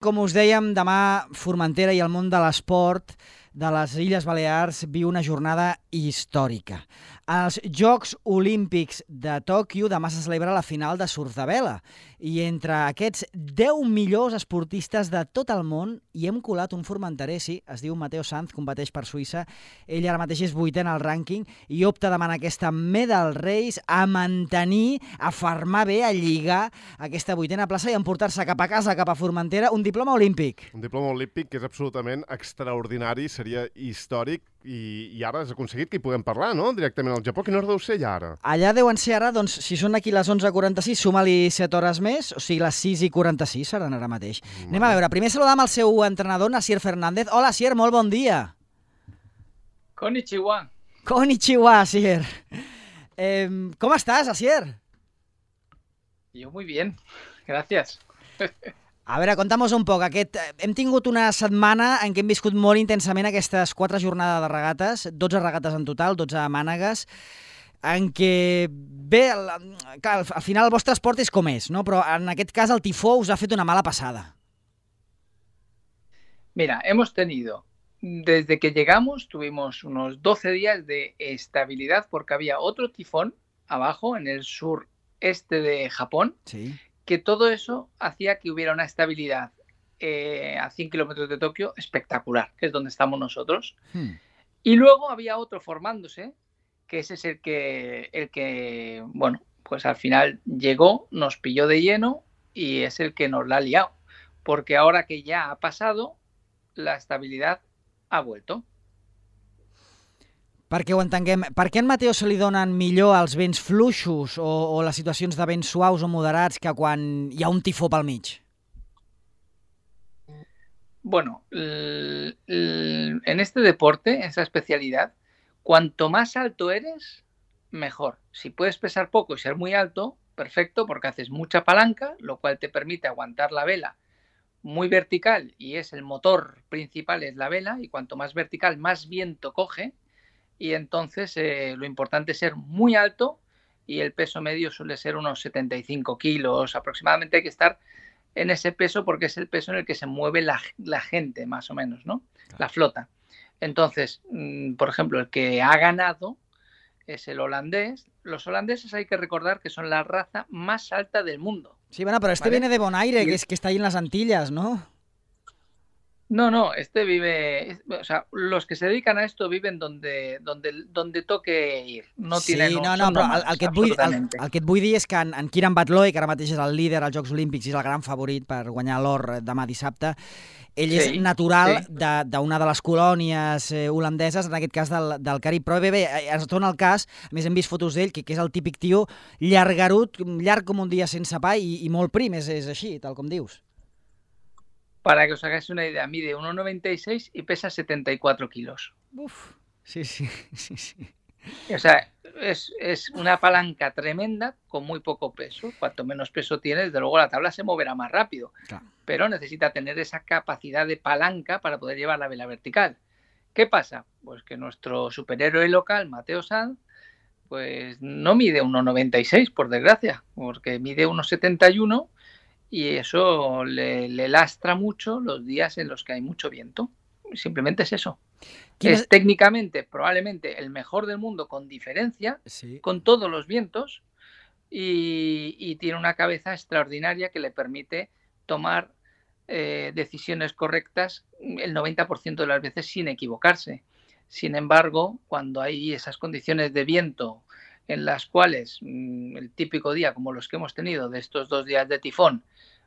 Com us dèiem, demà Formentera i el món de l'esport de les Illes Balears viu una jornada històrica. Als Jocs Olímpics de Tòquio demà se celebra la final de surf de vela i entre aquests 10 millors esportistes de tot el món hi hem colat un formenterer, sí, es diu Mateo Sanz, competeix per Suïssa. Ell ara mateix és 8è en el rànquing i opta demà en aquesta Medal Race a mantenir, a fermar bé, a lligar aquesta 8a plaça i emportar-se cap a casa, cap a Formentera, un diploma olímpic. Un diploma olímpic que és absolutament extraordinari, seria històric i ara has aconseguit que hi puguem parlar, no?, directament al Japó. Quina hora deu ser allà ara? Allà deuen ser ara, doncs, si són aquí les 11:46, suma-li 7 hores més, o sigui, les 6:46 seran ara mateix. Anem a veure, primer saludam el seu entrenador, Asier Fernández. Hola, Asier, molt bon dia. Konnichiwa. Konnichiwa, Asier. ¿Cómo estás, Asier? Yo muy bien, gracias. A veure, conta'm-nos un poc. Hem tingut una setmana en què hem viscut molt intensament aquestes 4 jornades de regates, 12 regates en total, 12 mànegues, en què, bé, al final el vostre esport és com és, no? Però en aquest cas el tifó us ha fet una mala passada. Mira, hemos tenido, desde que llegamos, tuvimos unos 12 días de estabilidad porque había otro tifón abajo en el sureste de Japón. Sí. Que todo eso hacía que hubiera una estabilidad a 100 kilómetros de Tokio espectacular, que es donde estamos nosotros. Y luego había otro formándose, que ese es el que, bueno, pues al final llegó, nos pilló de lleno y es el que nos la ha liado. Porque ahora que ya ha pasado, la estabilidad ha vuelto. Perquè ho entenguem, per què a en Mateo se li donen millor els vents fluixos o les situacions de vents suaus o moderats que quan hi ha un tifó pel mig? Bueno, en este deporte, esa especialidad, cuanto más alto eres, mejor. Si puedes pesar poco y ser muy alto, perfecto, porque haces mucha palanca, lo cual te permite aguantar la vela muy vertical y es el motor principal, es la vela, y cuanto más vertical, más viento coge. Y entonces lo importante es ser muy alto y el peso medio suele ser unos 75 kilos aproximadamente. Hay que estar en ese peso porque es el peso en el que se mueve la gente, más o menos, ¿no? La flota. Entonces, por ejemplo, el que ha ganado es el holandés. Los holandeses hay que recordar que son la raza más alta del mundo. Sí, bueno, pero ¿vale? Viene de Bonaire, que está ahí en las Antillas, ¿no? No, este vive, o sea, los que se dedican a esto viven donde toque ir. No sí, tienen però el que et vull dir és que en Kieran Batloy, que ara mateix és el líder als Jocs Olímpics i és el gran favorit per guanyar l'or demà dissabte, ell és natural d'una de les colònies holandeses, en aquest cas del Carib. Però bé, es torna al cas, a més hem vist fotos d'ell, que és el típic tio llargarut, llarg com un dia sense pa i molt prim, és així, tal com dius. Para que os hagáis una idea, mide 1,96 y pesa 74 kilos. Uf, sí. O sea, es una palanca tremenda con muy poco peso. Cuanto menos peso tienes, desde luego la tabla se moverá más rápido. Claro. Pero necesita tener esa capacidad de palanca para poder llevar la vela vertical. ¿Qué pasa? Pues que nuestro superhéroe local, Mateo Sanz, pues no mide 1,96, por desgracia, porque mide 1,71 y eso le lastra mucho los días en los que hay mucho viento. Simplemente es eso. Es técnicamente probablemente el mejor del mundo con diferencia, sí, con todos los vientos, y tiene una cabeza extraordinaria que le permite tomar decisiones correctas el 90% de las veces sin equivocarse. Sin embargo, cuando hay esas condiciones de viento en las cuales el típico día como los que hemos tenido de estos 2 días de tifón,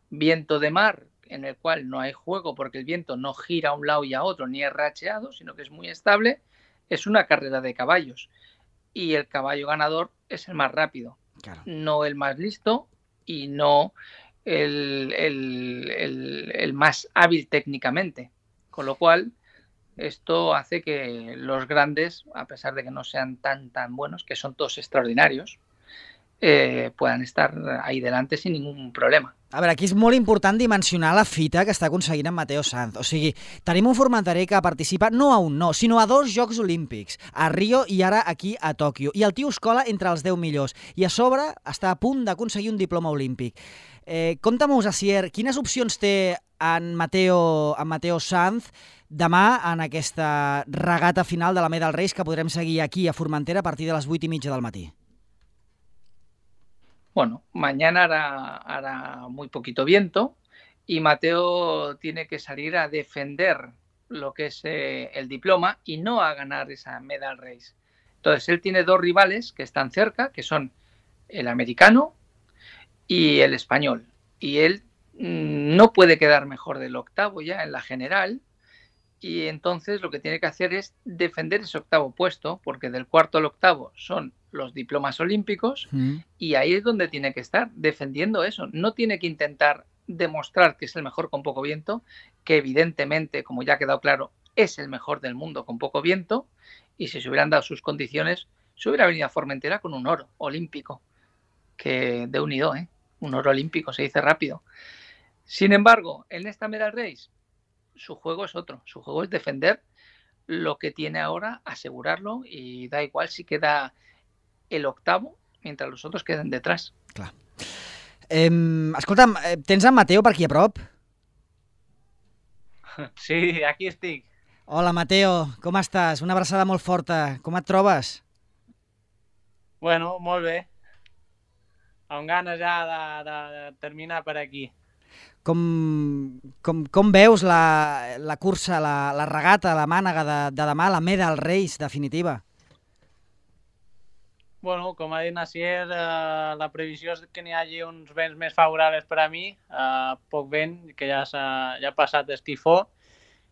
viento de mar en el cual no hay juego porque el viento no gira a un lado y a otro ni es racheado, sino que es muy estable, es una carrera de caballos y el caballo ganador es el más rápido, claro, no el más listo y no el más hábil técnicamente, con lo cual esto hace que los grandes, a pesar de que no sean tan buenos, que son todos extraordinarios, puedan estar ahí delante sin ningún problema. A veure, aquí és molt important dimensionar la fita que està aconseguint en Mateo Sanz. O sigui, tenim un formentari que participa no a un, no, sinó a 2 Jocs Olímpics, a Rio i ara aquí a Tòquio. I el tio es cola entre els 10 millors. I a sobre està a punt d'aconseguir un diploma olímpic. Compte-mos, Asier, quines opcions té en Mateo Sanz demà en aquesta regata final de la Medal Race que podrem seguir aquí a Formentera a partir de les 8:30 del matí? Bueno, mañana hará muy poquito viento y Mateo tiene que salir a defender lo que es el diploma y no a ganar esa medal race. Entonces, él tiene 2 rivales que están cerca, que son el americano y el español. Y él no puede quedar mejor del octavo ya en la general. Y entonces lo que tiene que hacer es defender ese octavo puesto, porque del cuarto al octavo son los diplomas olímpicos y ahí es donde tiene que estar, defendiendo eso. No tiene que intentar demostrar que es el mejor con poco viento, que evidentemente, como ya ha quedado claro, es el mejor del mundo con poco viento, y si se hubieran dado sus condiciones, se hubiera venido a Formentera con un oro olímpico, que de unido, un oro olímpico, se dice rápido. Sin embargo, en esta medal race, su juego es otro, su juego es defender lo que tiene ahora, asegurarlo, y da igual si queda el octavo mientras los otros queden detrás. Clar. Escolta'm, tens en Mateo per aquí a prop? Sí, aquí estic. Hola, Mateo, com estàs? Una abraçada molt forta. Com et trobes? Bueno, molt bé. Amb ganes ja de terminar per aquí. Com veus la cursa, la regata, la mànega de demà, la Medal Race definitiva? Bueno, com ha dit Nasier, la previsió és que n'hi hagi uns vents més favorables per a mi, poc vent, que ja ha passat el tifó,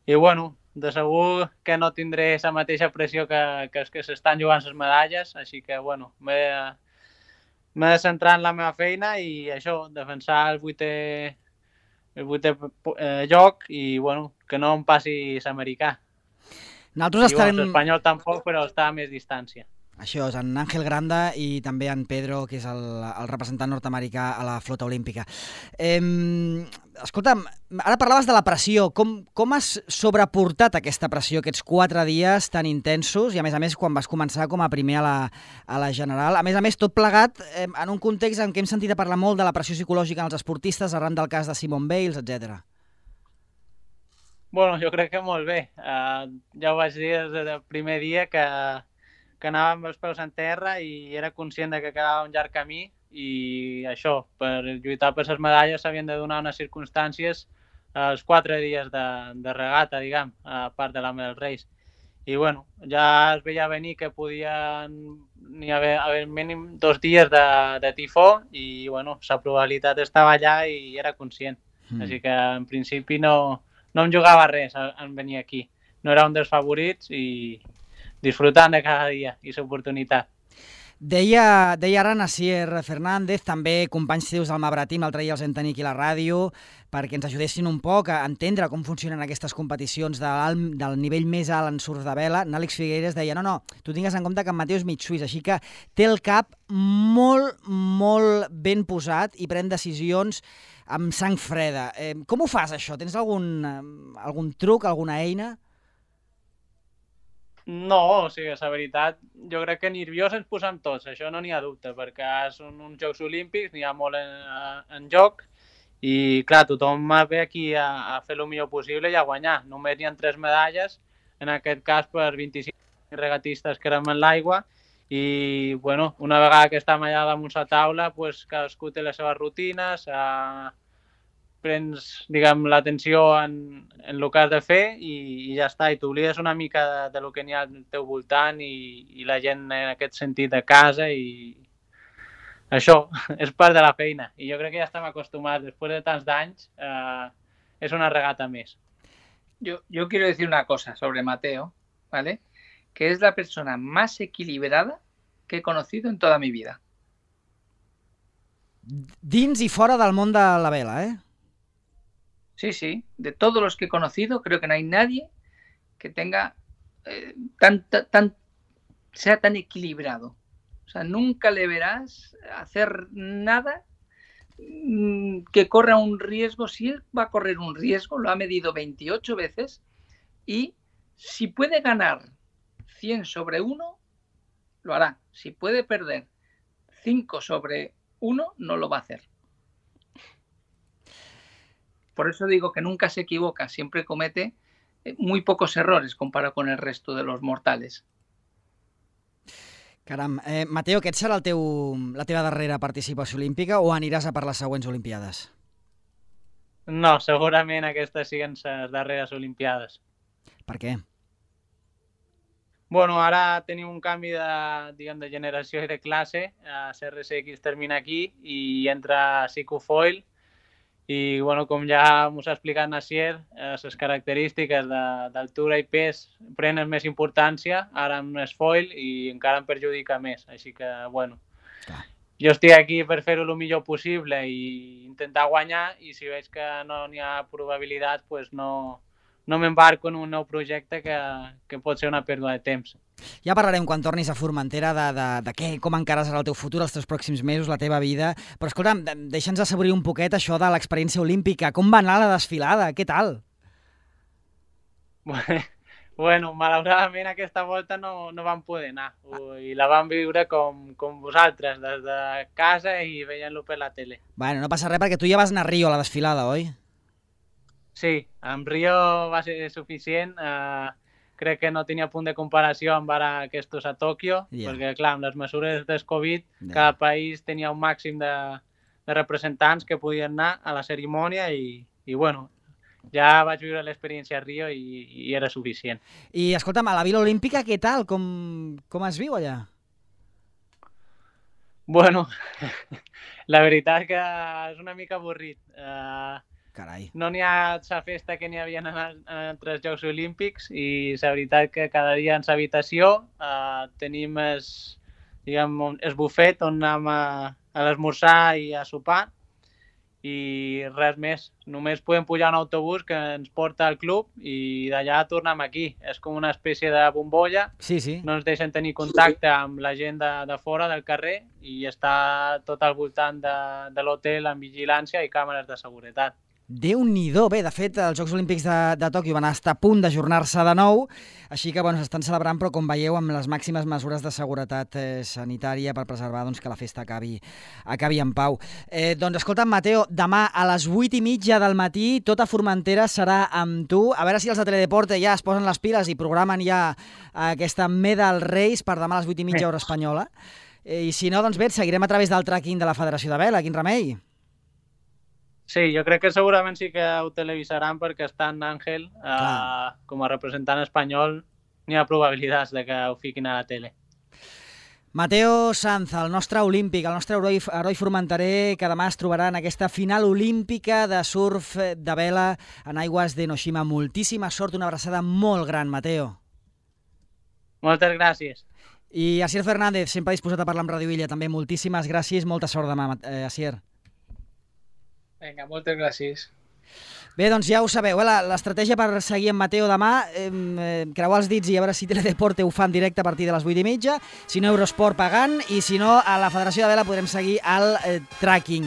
i bueno, de segur que no tindré la mateixa pressió que els que s'estan jugant les medalles, així que bueno, m'he de centrar en la meva feina i això, defensar el vuitè lloc i bueno, que no em passi l'americà. Nosaltres estarem... L'espanyol tampoc, però està a més distància. Això és, en Ángel Granda i també en Pedro, que és el representant nord-americà a la flota olímpica. Escolta'm, ara parlaves de la pressió. Com has sobreportat aquesta pressió, aquests 4 dies tan intensos, i a més, quan vas començar com a primer a la general? A més, tot plegat en un context en què hem sentit a parlar molt de la pressió psicològica en els esportistes, arran del cas de Simone Biles, etc. Bueno, jo crec que molt bé. Ja ho vaig dir des del primer dia que anava amb els peus en terra i era conscient que quedava un llarg camí i això, per lluitar per les medalles s'havien de donar unes circumstàncies els 4 dies de regata, diguem, a part de la Medal Race. I bueno, ja es veia venir que podien n'hi haver mínim 2 dies de tifó i bueno, la probabilitat estava allà i era conscient. Així que en principi no em jugava res en venir aquí. No era un dels favorits i disfrutant de cada dia i l'oportunitat. Deia ara Nasier Fernández, també companys teus al Mabratim, l'altre dia els hem tenit aquí a la ràdio, perquè ens ajudessin un poc a entendre com funcionen aquestes competicions del nivell més alt en surf de vela. Àlex Figueres deia, no, tu tingues en compte que en Mateo és mig suís, així que té el cap molt, molt ben posat i pren decisions amb sang freda. Com ho fas, això? Tens algun truc, alguna eina? No, o sigui, la veritat, jo crec que nerviós ens posem tots, això no n'hi ha dubte, perquè són uns Jocs Olímpics, n'hi ha molt en joc i, clar, tothom ve aquí a fer el millor possible i a guanyar. Només n'hi ha 3 medalles, en aquest cas per 25 regatistes que érem en l'aigua i, bueno, una vegada que estem allà damunt la taula, pues, cadascú té les seves rutines, prens, diguem, l'atenció en el que has de fer i ja està, i t'oblides una mica de lo que n'hi ha al teu voltant i la gent en aquest sentit de casa i això és part de la feina i jo crec que ja estem acostumats, després de tants d'anys és una regata més. Yo quiero decir una cosa sobre Mateo, ¿vale? Que es la persona más equilibrada que he conocido en toda mi vida. Dins i fora del món de la vela, Sí, de todos los que he conocido, creo que no hay nadie que tenga sea tan equilibrado. O sea, nunca le verás hacer nada que corra un riesgo. Si él va a correr un riesgo, lo ha medido 28 veces y si puede ganar 100 sobre 1, lo hará. Si puede perder 5 sobre 1, no lo va a hacer. Por eso digo que nunca se equivoca, siempre comete muy pocos errores comparado con el resto de los mortales. Caram. Mateo, aquest serà la teva darrera participació olímpica o aniràs a per les següents Olimpiades? No, segurament aquestes siguen les darreres Olimpiades. Per què? Bueno, ara tenim un canvi de generació i de classe. CRSX termina aquí i entra Siku-Foil. I, bueno, com ja m'ho ha explicat Nacier, les característiques d'altura i pes prenen més importància, ara amb el foil, i encara em perjudica més. Així que, bueno, jo estic aquí per fer-ho el millor possible i intentar guanyar, i si veig que no n'hi ha probabilitats, pues no m'embarco en un nou projecte que pot ser una pèrdua de temps. Ja parlarem quan tornis a Formentera de com encararàs el teu futur, els teus pròxims mesos, la teva vida. Però escolta'm, deixa'ns assaborir un poquet això de l'experiència olímpica. Com va anar la desfilada? Què tal? Bueno, malauradament aquesta volta no vam poder anar. I la vam viure com vosaltres, des de casa i veient-lo per la tele. Bueno, no passa res perquè tu ja vas anar a Rio a la desfilada, oi? Sí, amb Rio va ser suficient. Crec que no tenia punt de comparació amb ara aquests a Tòquio, perquè, clar, amb les mesures del Covid, cada país tenia un màxim de representants que podien anar a la cerimònia i bueno, ja vaig viure l'experiència a Rio i era suficient. I, escolta'm, a la Vila Olímpica, què tal? Com es viu allà? Bueno, la veritat que és una mica avorrit. Carai. No n'hi ha la festa que n'hi havia en altres Jocs Olímpics i la veritat que cada dia en l'habitació tenim el bufet on anem a l'esmorzar i a sopar i res més. Només podem pujar un autobús que ens porta al club i d'allà tornem aquí. És com una espècie de bombolla. Sí. No ens deixen tenir contacte amb la gent de fora del carrer i està tot al voltant de l'hotel amb vigilància i càmeres de seguretat. Déu-n'hi-do. Bé, de fet, els Jocs Olímpics de Tòquio van estar a punt d'ajornar-se de nou, així que s'estan celebrant, però com veieu, amb les màximes mesures de seguretat sanitària per preservar que la festa acabi en pau. Doncs escolta'm, Mateo, demà a les 8:30 del matí, tota Formentera serà amb tu. A veure si els de Teledeporte ja es posen les piles i programen ja aquesta Medal Race per demà a les 8:30 hora espanyola. I si no, doncs bé, seguirem a través del tracking de la Federació de Vela. Quin remei! Sí, jo crec que segurament sí que ho televisaran perquè està en Àngel com a representant espanyol. N'hi ha probabilitats de que ho fiquin a la tele. Mateo Sanz, el nostre olímpic, el nostre heroi formenterer, que demà es trobarà en aquesta final olímpica de surf de vela en aigües d'Enoshima. Moltíssima sort, una abraçada molt gran, Mateo. Moltes gràcies. I Asier Fernández, sempre disposat a parlar amb Radio Illa, també moltíssimes gràcies, molta sort demà, Asier. Vinga, moltes gràcies. Bé, doncs ja ho sabeu, l'estratègia per seguir amb Mateo demà, creuar els dits i a veure si Teledeporte ho fa en directe a partir de les 8:30, si no Eurosport pagant, i si no a la Federació de Vela podrem seguir el tracking.